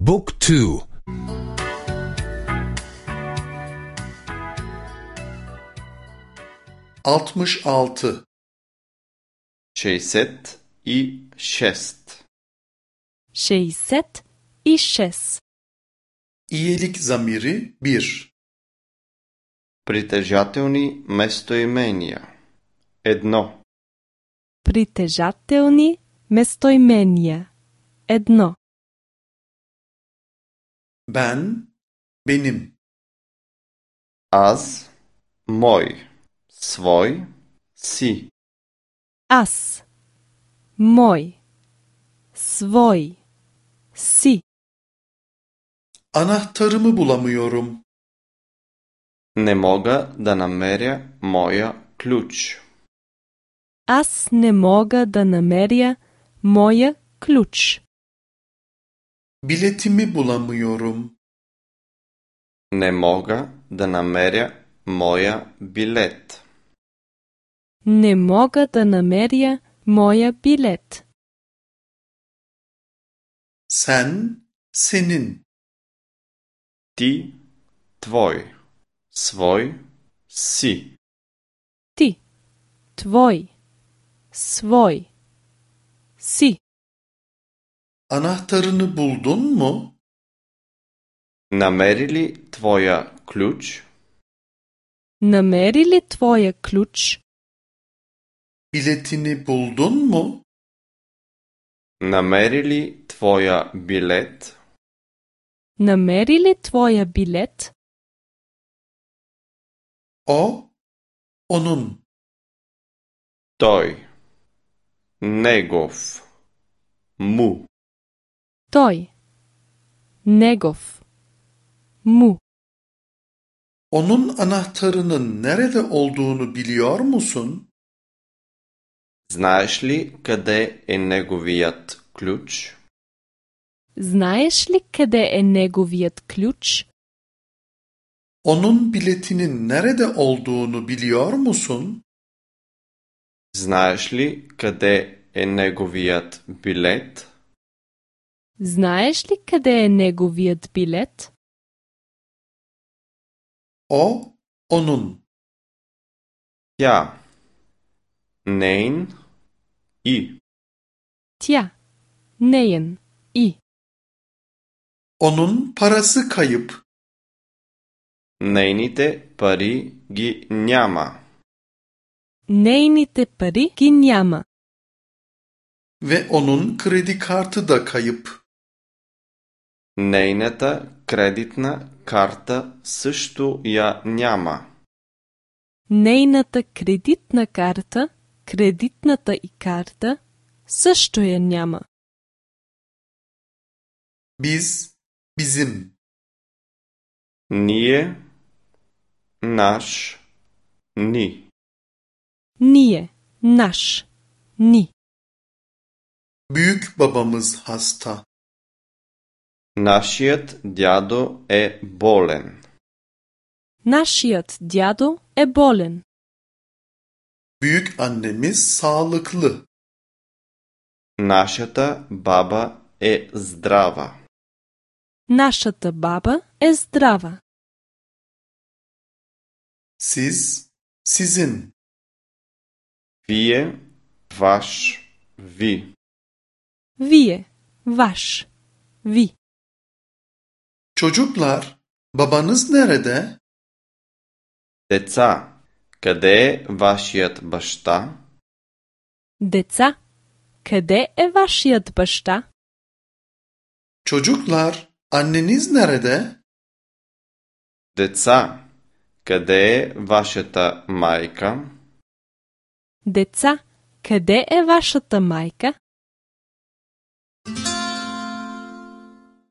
Book 2. 66 66. 66. İyilik zamiri 1. Притежателни местоимения. 1. Притежателни местоимения. 1. Ben, benim. Аз, мой, свой, си. Аз. Мой. Свой. Си. Anahtarımı bulamıyorum. Не мога да намеря моя ключ. Аз не мога да намеря моя ключ. Biletimi bulamıyorum. Не мога да намеря моя билет. Не мога да намеря моя билет. Sen, senin. Ти, твой, свой, си. Ти. Твой. Свой. Си. Anahtarını buldun mu? Намери ли твоя ключ? Намери ли твоя ключ? Biletini buldun mu? Намери ли твоя билет? Намери ли твоя билет? O, onun. Той, негов, му. Той. Негов. Му. Onun anahtarının nerede olduğunu biliyor musun? Знаеш ли къде е неговият ключ? Знаеш ли къде е неговият ключ? Onun biletinin nerede olduğunu biliyor musun? Знаеш ли къде е неговият билет? Знаеш ли къде е неговият билет? O, onun. Тя, нейн и. Тя. Неен. И. Onun parası kayıp. Нейните пари ги няма. Нейните пари ги няма. Ve onun kredi kartı da kayıp. Нейната кредитна карта също я няма. Нейната кредитна карта, кредитната и карта, също я няма. Biz, bizim. Ние, наш, ни. Ние. Наш. Ни. Büyük babamız hasta. Нашият дядо е болен. Нашият дядо е болен. Büyük annemiz sağlıklı. Нашата баба е здрава. Нашата баба е здрава. Siz, sizin. Вие, ваш, ви. Вие. Ваш. Ви. Çocuklar, babanız nerede? Деца, къде е вашият баща? Деца. Къде е вашият баща? Çocuklar, anneniz nerede? Деца, къде е вашата майка? Деца. Къде е вашата майка?